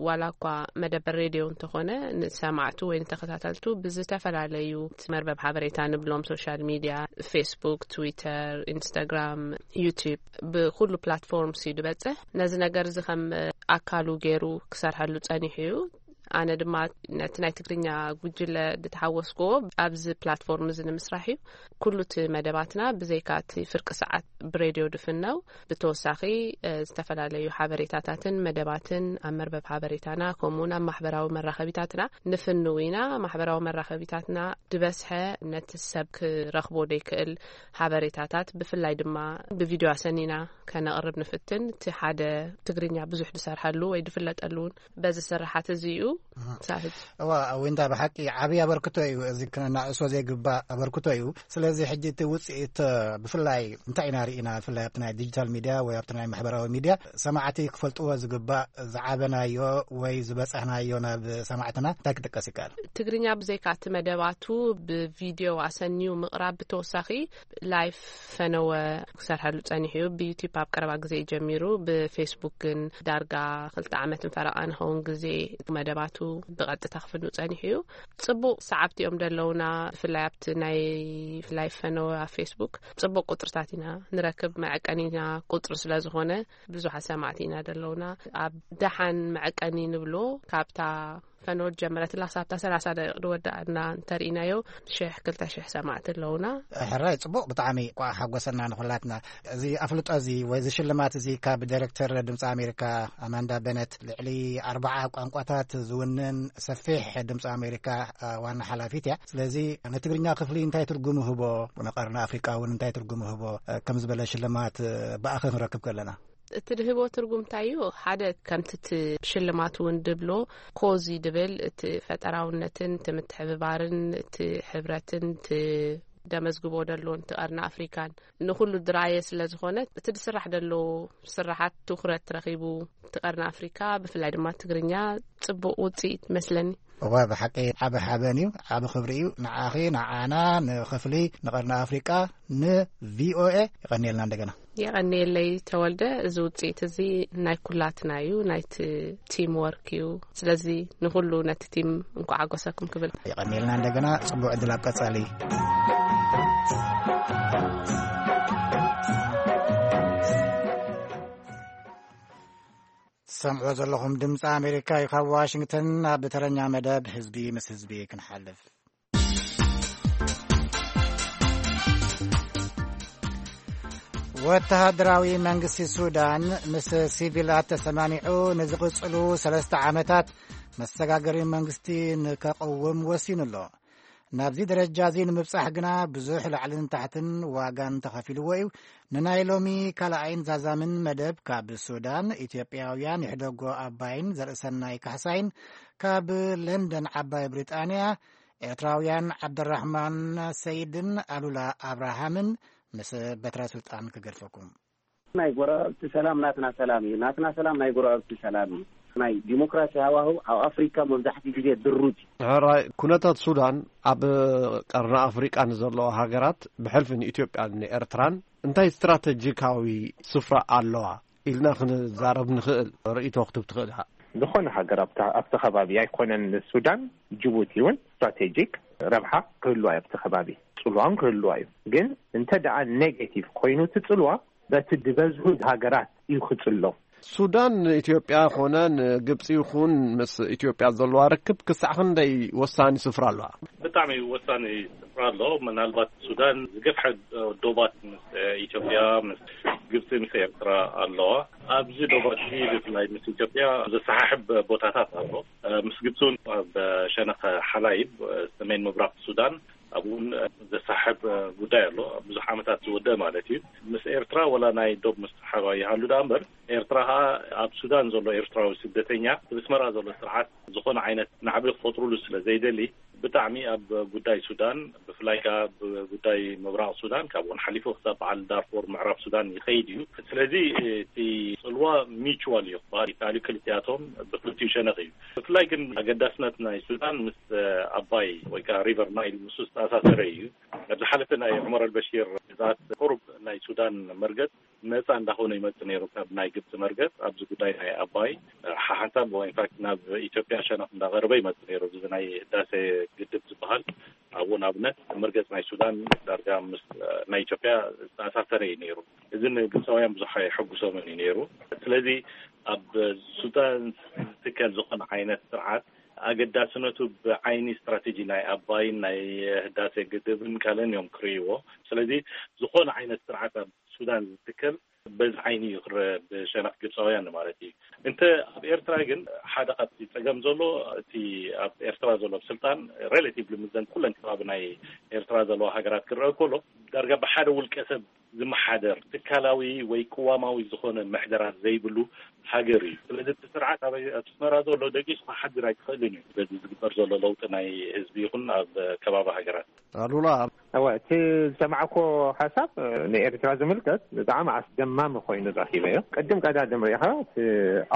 ዋላ እኳ መደበር ሬድዮ እንተኾነ፣ ንሰማዕቱ ወይ ንተኸታተልቱ ብዝተፈላለዩ መርበብ ሓበሬታ ንብሎም፣ ሶሻል ሚድያ፣ ፌስቡክ፣ ትዊተር፣ ኢንስታግራም፣ ዩቲዩብ፣ ብኩሉ ፕላትፎርምስ እዩ ዝበጽሕ። ነዚ ነገር እዚ ከም ኣካሉ ገይሩ ክሰርሐሉ ጸኒሑ እዩ። ኣነ ድማ ነቲ ናይ ትግርኛ ጉጅለ ዝተሓወስክዎ ኣብዚ ፕላትፎርም እዚ ንምስራሕ እዩ። ኩሉ እቲ መደባትና፣ ብዘይካ እቲ ፍርቂ ሰዓት ብሬድዮ ድፍነው፣ ብተወሳኺ፣ እ፣ ዝተፈላለዩ ሓበሬታታትን መደባትን ኣብ መርበብ ሓበሬታና፣ ከምኡውን ኣብ ማሕበራዊ መራኸቢታትና ንፍንው ኢና። ማሕበራዊ መራኸቢታትና ዝበዝሐ ነቲ ሰብ ክረኽቦ ዘይክእል ሓበሬታታት፣ ብፍላይ ድማ ብቪድዮ ኣሰኒና ከነቕርብ ንፍትን። እቲ ሓደ ትግርኛ ብዙሕ ዝሰርሐሉ ወይ ዝፍለጠሉ እውን በዚ ስርሓት እዚ እዩ። ኣሃ። ሳህት። እዋ፣ ዊንታ፣ ብሓቂ ዓብዪ ኣበርክቶ እዩ። እዚ ክነናእሶ ዘይግባእ ኣበርክቶ እዩ። ስለዚ ሕጂ እቲ ውፅኢት፣ ብፍላይ እንታይ ኢና ርኢና፣ ብፍላይ ኣብቲ ናይ ዲጂታል ሚድያ ወይ ኣብቲ ናይ ማሕበራዊ ሚድያ ሰማዕቲ ክፈልጥዎ ዝግባእ ዝዓበናዮ ወይ ዝበፃሕናዮ ናብ ሰማዕትና እንታይ ክጥቀስ ይከኣል? ትግርኛ ብዘይካ እቲ መደባቱ ብቪድዮ ኣሰንዩ ምቕራብ ብተወሳኺ፣ ላይፍ ፈነወ ክሰርሐሉ ጸኒሑ እዩ። ብዩቲዩብ ኣብ ቀረባ ግዜ እዩ ጀሚሩ። ብፌስቡክ ግን ዳርጋ ክልተ ዓመትን ፈረቓ ንኸውን ግዜ መደባቱ ብቐጥታ ክፍኑ ጸኒሑ እዩ። ጽቡቕ ሰዓብቲ እዮም ደለውና። ብፍላይ ኣብቲ ናይ ላይፍ ፈነወ ኣብ ፌስቡክ ጽቡቕ ቁጽርታት ኢና ንረክብ። መዐቀኒና ቁጽሪ ስለ ዝኾነ ብዙሓት ሰማዕቲ ኢና ደለውና። ኣብ ደሓን መዐቀኒ ንብሎ፣ ካብታ ፈኖድ ጀመረትላ ክሳብታ ሰላሳ ደቂቕ ዝወዳእና እንተርኢናዮ፣ ሽሕ፣ ክልተ ሽሕ ሰማዕቲ ኣለውና። ሕራይ፣ ጽቡቕ፣ ብጣዕሚ እኳ ሓጎሰና ንኹላትና። እዚ ኣፍልጦ እዚ ወይ እዚ ሽልማት እዚ ካብ ዳይሬክተር ድምፂ ኣሜሪካ ኣማንዳ በነት፣ ልዕሊ ኣርባዓ ቋንቋታት ዝውንን ሰፊሕ ድምፂ ኣሜሪካ፣ አ፣ ዋና ሓላፊት እያ። ስለዚ ንትግርኛ ክፍሊ እንታይ ትርጉም ይህቦ፣ ንቀርኒ ኣፍሪቃ እውን እንታይ ትርጉም ይህቦ፣ አ፣ ከም ዝበለ ሽልማት፣ አ፣ ብኣኸ ክንረክብ ከለና? እቲ ድህቦ ትርጉም እንታይ እዩ? ሓደ፣ ከምቲ እቲ ሽልማት እውን ድብሎ፣ ኮዚ ድብል፣ እቲ ፈጠራውነትን እቲ ምትሕብባርን እቲ ሕብረትን እቲ ደመዝግቦ ደሎ፣ እቲ ቀርኒ ኣፍሪካን ንኹሉ ድራየ ስለ ዝኾነ፣ እቲ ድስራሕ ደሎ ስራሓት ትኹረት ረኺቡ፣ እቲ ቀርኒ ኣፍሪካ፣ ብፍላይ ድማ ትግርኛ፣ ጽቡቕ ውጽኢት መስለኒ። እዋ፣ ብሓቂ ዓቢ ሓበን እዩ፣ ዓቢ ክብሪ እዩ ንዓኺ፣ ንዓና፣ ንኽፍሊ፣ ንቐርኒ ኣፍሪቃ፣ ንቪኦኤ። የቐንየልና እንደገና። የቐንየለይ ተወልደ፣ እዚ ውጽኢት እዚ ናይ ኩላትና እዩ፣ ናይቲ ቲም ወርክ እዩ። ስለዚ ንኹሉ ነቲ ቲም እንኳዕ ሓጎሰኩም ክብል። የቐንየልና እንደገና፣ ጽቡቕ ዕድል ኣብ ቀጻሊ። ትሰምዕዎ ዘለኹም ድምፂ ኣሜሪካ እዩ። ካብ ዋሽንግተን ኣብ ተረኛ መደብ ህዝቢ ምስ ህዝቢ ክንሓልፍ። ወተሃደራዊ መንግስቲ ሱዳን ምስ ሲቪላት ተሰማሚዑ ንዝቕጽሉ ሰለስተ ዓመታት መሰጋገሪ መንግስቲ ንከቕውም ወሲኑ ኣሎ። ናብዚ ደረጃ እዚ ንምብጻሕ ግና ብዙሕ ላዕልን ታሕትን ዋጋን ተኸፊልዎ እዩ። ንናይ ሎሚ ካልኣይን ዛዛምን መደብ ካብ ሱዳን፣ ኢትዮጵያውያን ይሕደጎ ኣባይን ዘርእሰናይ ካሕሳይን፣ ካብ ለንደን ዓባይ ብሪጣንያ ኤርትራውያን ዓብደራሕማን ሰይድን ኣሉላ ኣብርሃምን ምስ በትረ ስልጣን ክገድፈኩም። ናይ ጎረባብቲ ሰላም ናትና ሰላም እዩ። ናትና ሰላም ናይ ጎረባብቲ ሰላም እዩ። ናይ ዲሞክራሲ ሃዋህው ኣብ ኣፍሪካ መብዛሕትኡ ግዜ ድሩት እዩ። ሕራይ፣ ኩነታት ሱዳን ኣብ ቀርኒ ኣፍሪቃ ንዘለዋ ሃገራት፣ ብሕልፊ ንኢትዮጵያን ንኤርትራን እንታይ ስትራተጂካዊ ስፍራ ኣለዋ ኢልና ክንዛረብ ንኽእል ርእይቶ ክትብ ትኽእል ኢኻ? ዝኾነ ሃገር ኣብቲ፣ ኣብቲ ከባቢ ኣይኮነን ንሱዳን፣ ጅቡቲ እውን ስትራቴጂክ ረብሓ ክህልዋ እዩ ኣብቲ ከባቢ፣ ጽልዋ እውን ክህልዋ እዩ። ግን እንተ ደኣ ኔጌቲቭ ኮይኑ እቲ ጽልዋ በቲ ዝበዝሑ ሃገራት እዩ ክጽሎ። ሱዳን ንኢትዮጵያ ኾነ ንግብጺ ይኹን ምስ ኢትዮጵያ ዘለዋ ርክብ ክሳዕ ክንደይ ወሳኒ ስፍራ ኣለዋ? ብጣዕሚ ወሳኒ ስፍራ ኣሎ። ምናልባት ሱዳን ዝገፍሐ ዶባት ምስ ኢትዮጵያ፣ ምስ ግብጺ፣ ምስ ኤርትራ ኣለዋ። ኣብዚ ዶባት እዚ ብፍላይ ምስ ኢትዮጵያ ዘሰሓሕብ ቦታታት ኣሎ። ምስ ግብጺ እውን ኣብ ሸነኽ ሓላይብ፣ ሰሜን ምብራቕ ሱዳን፣ ኣብኡ እውን ዘሰሓሕብ ጉዳይ ኣሎ። ብዙሕ ዓመታት ዝወደአ ማለት እዩ። ምስ ኤርትራ ወላ ናይ ዶብ ምስሕሓባ ይሃሉ ደኣ እምበር፣ ኤርትራ ኸኣ ኣብ ሱዳን ዘሎ ኤርትራዊ ስደተኛ፣ ኣብ ኣስመራ ዘሎ ስርዓት ዝኾነ ዓይነት ናዕቢ ክፈጥሩሉ ስለ ዘይደሊ፣ ብጣዕሚ ኣብ ጉዳይ ሱዳን፣ ብፍላይ ከኣ ኣብ ጉዳይ ምብራቕ ሱዳን፣ ካብኡ ሓሊፉ ክሳብ በዓል ዳርፎር ምዕራብ ሱዳን ይኸይድ እዩ። ስለዚ እቲ ጽልዋ ሚቹዋል እዩ ክበሃል ይከኣል እዩ። ክልቲኣቶም ብክልቲኡ ሸነኽ እዩ። ብፍላይ ግን ኣገዳስነት ናይ ሱዳን ምስ ኣባይ ወይ ከኣ ሪቨር ናይል ምስ ዝተኣሳሰረ እዩ። ኣብ ዝሓለፈ ናይ ዑመር ኣልበሺር ግዝኣት ቁሩብ ናይ ሱዳን መርገጽ ነጻ እንዳኾነ ይመጽእ ነይሩ ካብ ናይ ግብጺ መርገጽ። ኣብዚ ጉዳይ ናይ ኣባይ ሓሓንሳብ ኢንፋክት ናብ ኢትዮጵያ ሸነኽ እንዳቐረበ ይመጽእ ነይሩ። እዚ ናይ ህዳሴ ግድብ ዝበሃል ኣብኡ ንኣብነት መርገጽ ናይ ሱዳን ዳርጋ ምስ ናይ ኢትዮጵያ ዝተኣሳሰረ እዩ ነይሩ። እዚ ንግብጻውያን ብዙሕ ኣይሐጉሶምን እዩ ነይሩ። ስለዚ ኣብ ሱዳን ዝትከል ዝኾነ ዓይነት ስርዓት ኣገዳስነቱ ብዓይኒ ስትራቴጂ ናይ ኣባይን ናይ ህዳሴ ግድብን ካልእን እዮም ክርእይዎ። ስለዚ ዝኾነ ዓይነት ስርዓት ኣብ ሱዳን ዝትከል በዚ ዓይኒ እዩ ክረአ ብሸነኽ ግብፃውያን ማለት እዩ። እንተ ኣብ ኤርትራ ግን ሓደ ካብቲ ፀገም ዘሎ እቲ ኣብ ኤርትራ ዘሎ ስልጣን ሬላቲቭሊ ምዘን ኩለን ከባቢ ናይ ኤርትራ ዘለዋ ሃገራት ክረአ ከሎ ዳርጋ ብሓደ ውልቀ ሰብ ዝመሓደር ትካላዊ ወይ ቅዋማዊ ዝኾነ ምሕደራ ዘይብሉ ሃገር እዩ። ስለዚ እቲ ስርዓት ኣብ ኣስመራ ዘሎ ደቂሱ ክሓድር ኣይትኽእልን እዩ። በዚ ዝግበር ዘሎ ለውጢ ናይ ህዝቢ ይኹን ኣብ ከባቢ ሃገራት ኣሉላ። እወ፣ እቲ ዝሰማዕኮ ሓሳብ ንኤርትራ ዝምልከት ብጣዕሚ ኣስደማሚ ኮይኑ ረኺበዮ። ቅድም ቀዳድም ሪኢኻ እቲ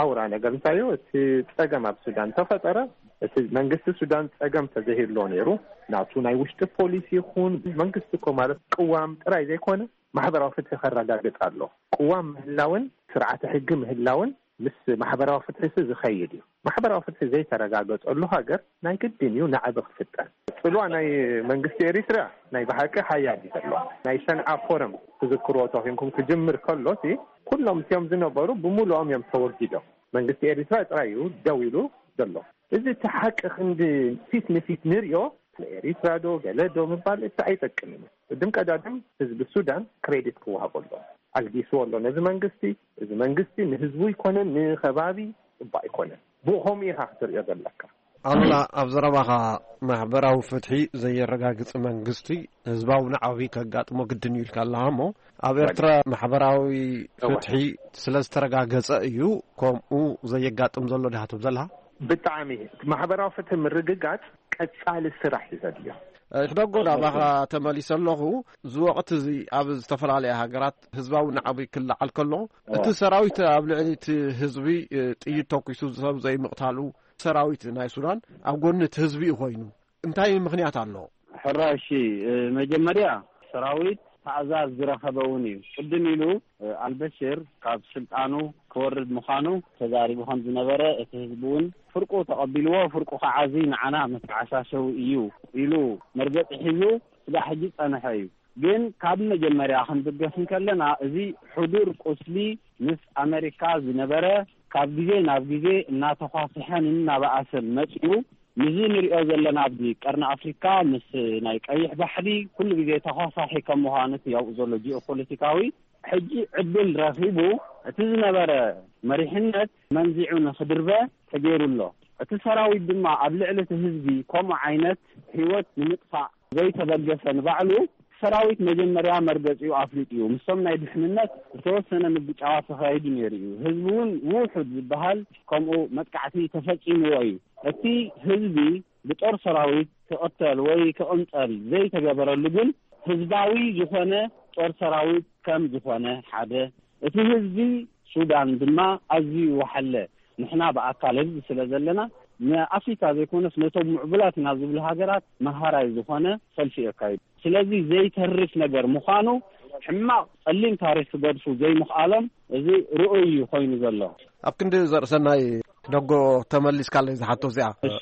ኣውራ ነገር እንታይ እዩ? እቲ ጸገም ኣብ ሱዳን ተፈጠረ። እቲ መንግስቲ ሱዳን ጸገም ተዘይህሎ ነይሩ፣ ናቱ ናይ ውሽጢ ፖሊሲ ይኹን መንግስቲ እኮ ማለት ቅዋም ጥራይ ዘይኮነ ማሕበራዊ ፍትሒ ከረጋግጽ ኣሎ። ቅዋም ምህላውን ስርዓተ ሕጊ ምህላውን ምስ ማሕበራዊ ፍትሒ ሲ ዝኸይድ እዩ። ማሕበራዊ ፍትሒ ዘይተረጋገጸሉ ሃገር ናይ ግድን እዩ ናዕቢ ክፍጠር። ጽልዋ ናይ መንግስቲ ኤሪትራ ናይ ብሓቂ ሓያል እዩ ዘሎ። ናይ ሰንዓ ፎረም ትዝክርዎ ተኾይንኩም ክጅምር ከሎ ሲ ኩሎም እቲኦም ዝነበሩ ብምሉኦም እዮም ተወጊዶም። መንግስቲ ኤሪትራ ጥራይ እዩ ደው ኢሉ ዘሎ። እዚ እቲ ሓቂ ክንዲ ፊት ንፊት ንሪኦ ንኤሪትራ ዶ ገለ ዶ ምባል እቲ ኣይጠቅምን እዩ። ቅድም ቀዳድም ህዝቢ ሱዳን ክሬዲት ክወሃቦ ኣሎ። ኣልጊስዎ ኣሎ ነዚ መንግስቲ። እዚ መንግስቲ ንህዝቡ ይኮነን ንከባቢ ጽቡቅ ኣይኮነን። ብኡ ከምኡ ኢኻ ክትርእዮ ዘለካ። ኣሉላ፣ ኣብ ዘረባኻ ማሕበራዊ ፍትሒ ዘየረጋግጽ መንግስቲ ህዝባዊ ናዕቢ ከጋጥሞ ግድን እዩ ኢልካ ኣለኻ እሞ ኣብ ኤርትራ ማሕበራዊ ፍትሒ ስለ ዝተረጋገጸ እዩ ከምኡ ዘየጋጥም ዘሎ ዲኻ ትብል ዘለኻ? ብጣዕሚ ማሕበራዊ ፍትሒ ምርግጋጽ ቀጻሊ ስራሕ እዩ ዘድልዮ። ሕደጎ ናባኻ ተመሊሰ ኣለኹ። እዚ ወቕቲ እዚ ኣብ ዝተፈላለያ ሃገራት ህዝባዊ ናዕቢ ክለዓል ከሎ እቲ ሰራዊት ኣብ ልዕሊ እቲ ህዝቢ ጥይት ተኩሱ ሰብ ዘይምቕታሉ ሰራዊት ናይ ሱዳን ኣብ ጎኒ እቲ ህዝቢ እዩ ኮይኑ እንታይ ምኽንያት ኣሎ? ሕራሺ መጀመርያ ሰራዊት ታእዛዝ ዝረኸበ እውን እዩ። ቅድም ኢሉ ኣልበሽር ካብ ስልጣኑ ክወርድ ምዃኑ ተዛሪቡ ከም ዝነበረ እቲ ህዝቢ እውን ፍርቁ ተቐቢልዎ ፍርቁ ከዓ እዚ ንዓና መተዓሻሸዊ እዩ ኢሉ መርገፂ ሒዙ ስጋዕ ሕጂ ጸንሐ እዩ። ግን ካብ መጀመርያ ክንብገስ እንከለና እዚ ሕዱር ቁስሊ ምስ ኣመሪካ ዝነበረ ካብ ግዜ ናብ ግዜ እናተኳስሐን እናበኣሰን መፂኡ። ምስዚ ንሪኦ ዘለና ኣብዚ ቀርኒ ኣፍሪካ ምስ ናይ ቀይሕ ባሕሪ ኩሉ ግዜ ተኳሳሒ ከም ምዃኑ እቲ ኣብኡ ዘሎ ጂኦፖለቲካዊ ሕጂ ዕድል ረኺቡ እቲ ዝነበረ መሪሕነት መንዚዑ ንክድርበ ተገይሩ ኣሎ። እቲ ሰራዊት ድማ ኣብ ልዕሊ እቲ ህዝቢ ከምኡ ዓይነት ህይወት ንምጥፋእ ዘይተበገሰ ንባዕሉ ሰራዊት መጀመርያ መርገፂኡ ኣፍሊጡ እዩ። ምስቶም ናይ ድሕንነት ዝተወሰነ ምግጫዋት ተኻይዱ ነይሩ እዩ። ህዝቢ እውን ውሑድ ዝበሃል ከምኡ መጥቃዕቲ ተፈፂምዎ እዩ። እቲ ህዝቢ ብጦር ሰራዊት ክቕተል ወይ ክቕንፀል ዘይተገበረሉ ግን ህዝባዊ ዝኾነ ጦር ሰራዊት ከም ዝኾነ ሓደ፣ እቲ ህዝቢ ሱዳን ድማ ኣዝዩ ወሓለ። ንሕና ብኣካል ህዝቢ ስለ ዘለና ንኣፍሪካ ዘይኮነስ ነቶም ምዕቡላት ኢና ዝብሉ ሃገራት መሃራይ ዝኾነ ሰልፊ የካይዱ። ስለዚ ዘይተርፍ ነገር ምዃኑ ሕማቕ ጸሊም ታሪኽ ክገድፉ ዘይምኽኣሎም እዚ ርኡይ እዩ ኮይኑ ዘሎ። ኣብ ክንዲ ዘርእሰናይ ደጎ ተመሊስካለይ ዝሓቶ እዚኣ እሺ።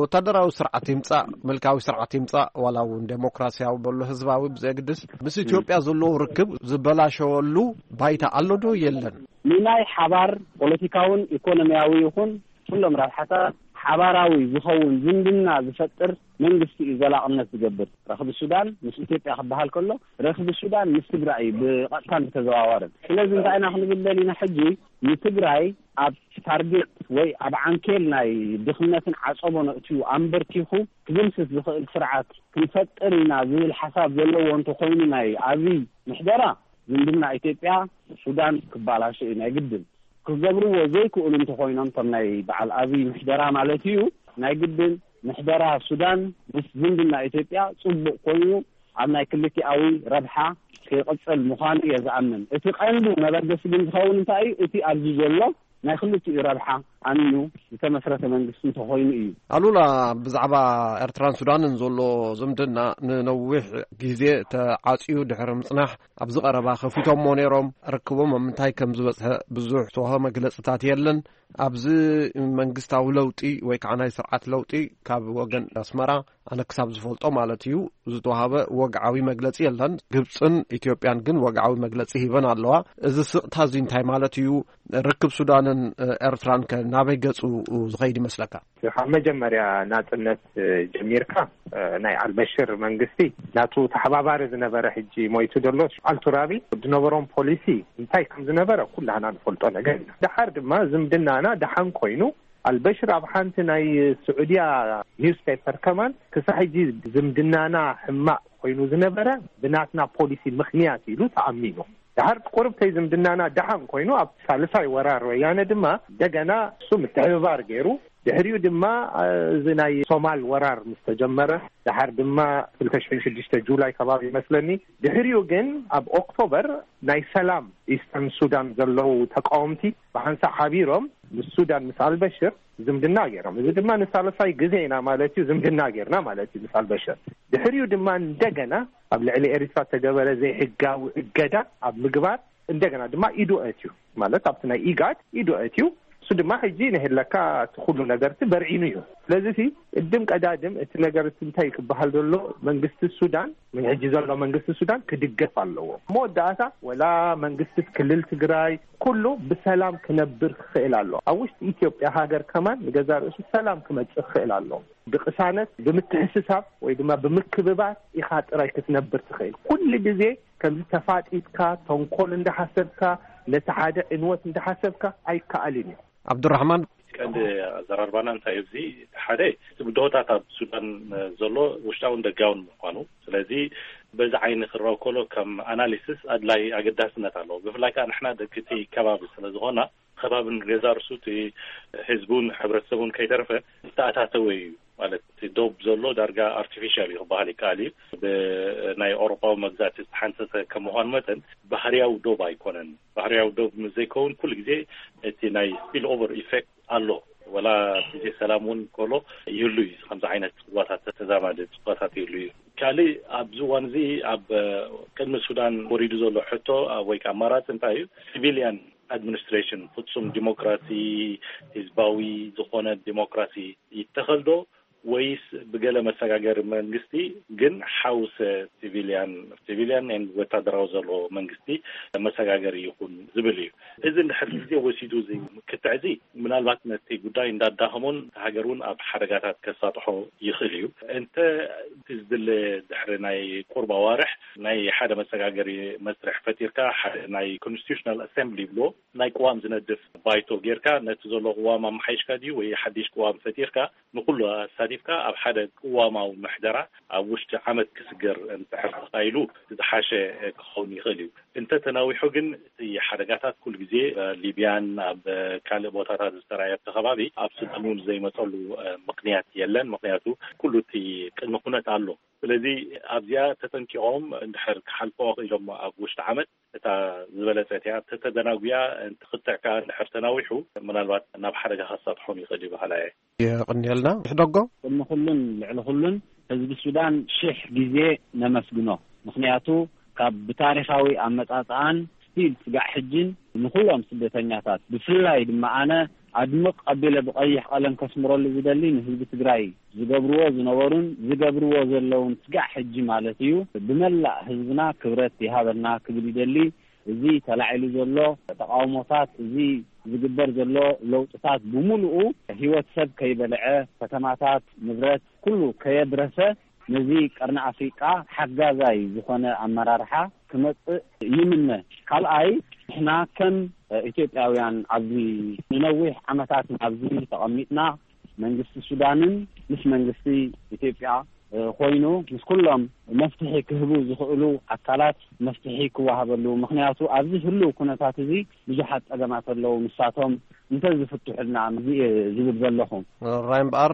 ወታደራዊ ስርዓት ይምጻእ ምልካዊ ስርዓት ይምጻእ ዋላ እውን ዴሞክራሲያዊ በሎ ህዝባዊ ብዘየግድስ ምስ ኢትዮጵያ ዘለዎ ርክብ ዝበላሸወሉ ባይታ ኣሎ ዶ የለን? ንናይ ሓባር ፖለቲካውን ኢኮኖሚያዊ ይኹን ኩሎም ረብሓታት ሓባራዊ ዝኸውን ዝምድና ዝፈጥር መንግስቲ እዩ ዘላቕነት ዝገብር። ረኽቢ ሱዳን ምስ ኢትዮጵያ ክበሃል ከሎ ረኽቢ ሱዳን ምስ ትግራይ እዩ ብቐጥታን ብተዘዋዋርን። ስለዚ እንታይ ኢና ክንብል ደሊና ሕጂ ንትግራይ ኣብ ታርጌት ወይ ኣብ ዓንኬል ናይ ድኽነትን ዓጸቦ ነእትዩ ኣንበርኪኹ ክድምስስ ዝኽእል ስርዓት ክንፈጥር ኢና ዝብል ሓሳብ ዘለዎ እንተኾይኑ ናይ ኣብይ ምሕደራ ዝምድና ኢትዮጵያ ሱዳን ክባላሾ እዩ ናይ ግድን። ክገብርዎ ዘይክእሉ እንተኾይኖም ከም ናይ በዓል ኣብይ ምሕደራ ማለት እዩ ናይ ግድን ምሕደራ ሱዳን ምስ ዝምድና ኢትዮጵያ ጽቡቕ ኮይኑ ኣብ ናይ ክልቲኣዊ ረብሓ ክቕጽል ምዃኑ እየ ዝኣምን። እቲ ቀንዲ መበገሲ ግን ዝኸውን እንታይ እዩ? እቲ ኣብዚ ዘሎ ናይ ክልቲኡ ረብሓ ኣሚኑ ዝተመስረተ መንግስቲ እንተኾይኑ እዩ። ኣሉላ፣ ብዛዕባ ኤርትራን ሱዳንን ዘሎ ዝምድና ንነዊሕ ግዜ ተዓጽዩ ድሕሪ ምጽናሕ፣ ኣብዚ ቀረባ ከፊቶሞ ነይሮም። ርክቦም ኣብ ምንታይ ከም ዝበጽሐ ብዙሕ ተዋህቦ መግለጽታት የለን። ኣብዚ መንግስታዊ ለውጢ ወይ ከዓ ናይ ስርዓት ለውጢ ካብ ወገን ኣስመራ፣ ኣነ ክሳብ ዝፈልጦ ማለት እዩ፣ ዝተዋሃበ ወግዓዊ መግለጺ የለን። ግብጽን ኢትዮጵያን ግን ወግዓዊ መግለጺ ሂበን ኣለዋ። እዚ ስቕታ እዚ እንታይ ማለት እዩ? ርክብ ሱዳንን ኤርትራን ከ ናበይ ገጹ ዝኸይድ ይመስለካ? ካብ መጀመርያ ናጽነት ጀሚርካ፣ ናይ ኣልበሽር መንግስቲ ናቱ ተሓባባሪ ዝነበረ፣ ሕጂ ሞይቱ ዘሎ፣ ኣልቱራቢ ዝነበሮም ፖሊሲ እንታይ ከም ዝነበረ ኩላህና ንፈልጦ ነገር ኢና። ደሓር ድማ ዝምድናና ደሓን ኮይኑ፣ ኣልበሽር ኣብ ሓንቲ ናይ ስዑድያ ኒውስፔፐር ከማን፣ ክሳብ ሕጂ ዝምድናና ሕማቕ ኮይኑ ዝነበረ ብናትና ፖሊሲ ምኽንያት ኢሉ ተኣሚኑ። ደሓር ቁርብተይ ዝምድናና ደሓን ኮይኑ፣ ኣብ ሳልሳይ ወራር ወያነ ድማ እንደገና እሱ ምትሕብባር ገይሩ፣ ድሕሪኡ ድማ፣ እ፣ እዚ ናይ ሶማል ወራር ምስ ተጀመረ፣ ደሓር ድማ ክልተ ሽሕን ሽዱሽተ ጁላይ ከባቢ ይመስለኒ፣ ድሕሪኡ ግን ኣብ ኦክቶበር ናይ ሰላም ኢስተርን ሱዳን ዘለዉ ተቃወምቲ ብሓንሳእ ሓቢሮም ምስ ሱዳን፣ ምስ ኣልበሽር ዝምድና ገይሮም። እዚ ድማ ንሳልሳይ ግዜ ኢና ማለት እዩ ዝምድና ጌርና ማለት እዩ ምስ ኣልበሽር። ድሕሪኡ ድማ እንደገና ኣብ ልዕሊ ኤርትራ ተገበረ ዘይሕጋዊ እገዳ ኣብ ምግባር እንደገና ድማ ኢዱ ኣእትዩ፣ ማለት ኣብቲ ናይ ኢጋድ ኢዱ ኣእትዩ። እሱ ድማ ሕጂ ንህለካ እቲ ኩሉ ነገርቲ በርዒኑ እዩ። ስለዚ እቲ ቅድም ቀዳድም እቲ ነገር እቲ እንታይ ክበሃል ዘሎ፣ መንግስቲ ሱዳን፣ ሕጂ ዘሎ መንግስቲ ሱዳን ክድገፍ ኣለዎ። መወዳእታ ወላ መንግስቲ ክልል ትግራይ ኩሉ ብሰላም ክነብር ክኽእል ኣሎ። ኣብ ውሽጢ ኢትዮጵያ ሃገር ከማን ንገዛ ርእሱ ሰላም ክመጽእ ክኽእል ኣሎ። ብቅሳነት፣ ብምትሕስሳብ ወይ ድማ ብምክብባር ኢኻ ጥራይ ክትነብር ትኽእል። ኩሉ ግዜ ከምዚ ተፋጢጥካ፣ ተንኮል እንዳሓሰብካ፣ ነቲ ሓደ ዕንወት እንዳሓሰብካ ኣይከኣልን እዩ። ዓብዱራሕማን። ቀንዲ ኣዘራርባና እንታይ እዩ? እዚ ሓደ፣ እቲ ብድሆታት ኣብ ሱዳን ዘሎ ውሽጣውን ደጋውን ምዃኑ፣ ስለዚ በዚ ዓይኒ ክረኦ ከሎ ከም ኣናሊሲስ ኣድላይ ኣገዳስነት ኣለዎ። ብፍላይ ከዓ ንሕና ደቂ እቲ ከባቢ ስለ ዝኾና፣ ከባብን ገዛ ርሱ እቲ ህዝቡን ሕብረተሰቡን ከይተረፈ ዝተኣታተወ እዩ። ማለት እቲ ዶብ ዘሎ ዳርጋ ኣርቲፊሻል እዩ ክበሃል ይከኣል እዩ። ብናይ ኣውሮፓዊ መግዛእቲ ዝተሓንሰሰ ከም ምዃኑ መጠን ባህርያዊ ዶብ ኣይኮነን። ባህርያዊ ዶብ ምስ ዘይከውን ኩሉ ግዜ እቲ ናይ ስፒል ኦቨር ኢፌክት ኣሎ። ወላ ግዜ ሰላም እውን ከሎ ይህሉ እዩ። ከምዚ ዓይነት ጽዋታት፣ ተዛማዲ ጽዋታት ይህሉ እዩ። ካልእ ኣብዚ እዋን እዚ ኣብ ቅድሚ ሱዳን ወሪዱ ዘሎ ሕቶ ወይ ከዓ ኣማራፂ እንታይ እዩ? ሲቪሊያን ኣድሚኒስትሬሽን፣ ፍጹም ዲሞክራሲ፣ ህዝባዊ ዝኾነ ዲሞክራሲ ይተኸል ዶ ወይስ ብገለ መሰጋገሪ መንግስቲ ግን ሓውሰ ሲቪሊያን፣ ሲቪሊያን ኤንድ ወታደራዊ ዘለዎ መንግስቲ መሰጋገሪ ይኹን ዝብል እዩ። እዚ እንድሕር ግዜ ወሲዱ እዚ ክትዕ እዚ ምናልባት ነቲ ጉዳይ እንዳዳኸሞን እቲ ሃገር እውን ኣብ ሓደጋታት ከሳጥሖ ይኽእል እዩ። እንተ እቲ ዝድለ ድሕሪ ናይ ቁርብ ኣዋርሕ ናይ ሓደ መሰጋገሪ መስርሕ ፈጢርካ፣ ሓደ ናይ ኮንስቲቱሽናል ኣሰምብሊ ይብልዎ፣ ናይ ቅዋም ዝነድፍ ባይቶ ጌርካ፣ ነቲ ዘሎ ቅዋም ኣመሓይሽካ ድዩ ወይ ሓድሽ ቅዋም ፈጢርካ ንኩሉ ኣሳቲፍካ ኣብ ሓደ ቅዋማዊ ምሕደራ ኣብ ውሽጢ ዓመት ክስገር እንድሕር ተኻኢሉ ዝሓሸ ክኸውን ይኽእል እዩ። እንተ ተናዊሑ ግን እቲ ሓደጋታት ኩሉ ግዜ ኣብ ሊብያን ኣብ ካልእ ቦታታት ዝተራእየ ኣብቲ ከባቢ ኣብ ሱዳን እውን ዘይመፀሉ ምኽንያት የለን። ምኽንያቱ ኩሉ እቲ ቅድሚ ኩነት ኣሎ። ስለዚ ኣብዚኣ ተጠንቂቖም እንድሕር ክሓልፍዎ ክኢሎም ኣብ ውሽጢ ዓመት እታ ዝበለጸት እያ። ተተደናጉያ፣ እቲ ክትዕ ከኣ እንድሕር ተናዊሑ፣ ምናልባት ናብ ሓደጋ ከሳጥሖም ይኽእል እዩ በሃላይ እየ። የቕንየልና። ሕደጎ። ቅድሚ ኩሉን ልዕሊ ኩሉን ህዝቢ ሱዳን ሽሕ ግዜ ነመስግኖ። ምኽንያቱ ካብ ብታሪኻዊ ኣመጻጽኣን ስቲል ስጋዕ ሕጅን ንኹሎም ስደተኛታት፣ ብፍላይ ድማ ኣነ ኣድምቕ ኣቢለ ብቐይሕ ቀለም ከስምረሉ ዝደሊ ንህዝቢ ትግራይ ዝገብርዎ ዝነበሩን ዝገብርዎ ዘለውን ስጋዕ ሕጂ ማለት እዩ፣ ብመላእ ህዝብና ክብረት ይሃበልና ክብል ይደሊ። እዚ ተላዒሉ ዘሎ ተቃውሞታት፣ እዚ ዝግበር ዘሎ ለውጥታት ብምሉኡ ህይወት ሰብ ከይበልዐ፣ ከተማታት፣ ንብረት ኩሉ ከየብረሰ፣ ነዚ ቀርኒ ኣፍሪቃ ሓጋዛይ ዝኾነ ኣመራርሓ ክመጽእ ይምነ። ካልኣይ፣ ንሕና ከም ኢትዮጵያውያን ኣብዚ ንነዊሕ ዓመታት ኣብዚ ተቐሚጥና፣ መንግስቲ ሱዳንን ምስ መንግስቲ ኢትዮጵያ ኮይኑ ምስ ኩሎም መፍትሒ ክህቡ ዝኽእሉ ኣካላት መፍትሒ ክወሃበሉ። ምኽንያቱ ኣብዚ ህልው ኩነታት እዚ ብዙሓት ጸገማት ኣለዉ። ንሳቶም እንተ ዝፍትሑልና ዝብል ዘለኹ። ራይ እምበኣር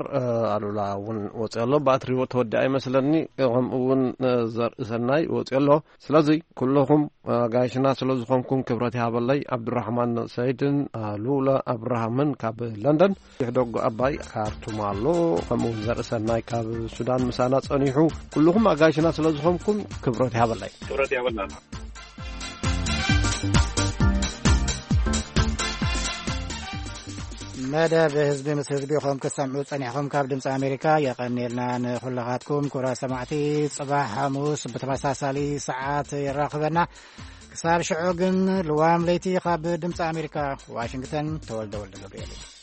ኣሉላ እውን ወፂኦ ኣሎ። ባትሪ ተወዲኣ ይመስለኒ። ከምኡ እውን ዘርእሰናይ ወፂኦ ኣሎ። ስለዚ ኩለኹም ኣጋይሽና ስለ ዝኾንኩም ክብረት ይሃበለይ። ኣብዱራሕማን ሰይድን ኣሉላ ኣብርሃምን ካብ ለንደን፣ ይሕደጉ ኣባይ ካርቱም ኣሎ። ከምኡ እውን ዘርእሰናይ ካብ ሱዳን ምሳና ጸኒሑ። ኩልኹም ኣጋይሽና ስለ ዝኾንኩም ክብረት ይሃበለይ። ክብረት ይሃበልና። መደብ ህዝቢ ምስ ህዝቢ ኹም ክትሰምዑ ጸኒሕኹም ካብ ድምፂ ኣሜሪካ የቐንየልና። ንኹልኻትኩም ኩራ ሰማዕቲ፣ ጽባሕ ሓሙስ ብተመሳሳሊ ሰዓት የራኽበና። ክሳብ ሽዑ ግን ልዋም ለይቲ ካብ ድምፂ ኣሜሪካ ዋሽንግተን፣ ተወልደ ወልደ ገብርኤል እዩ።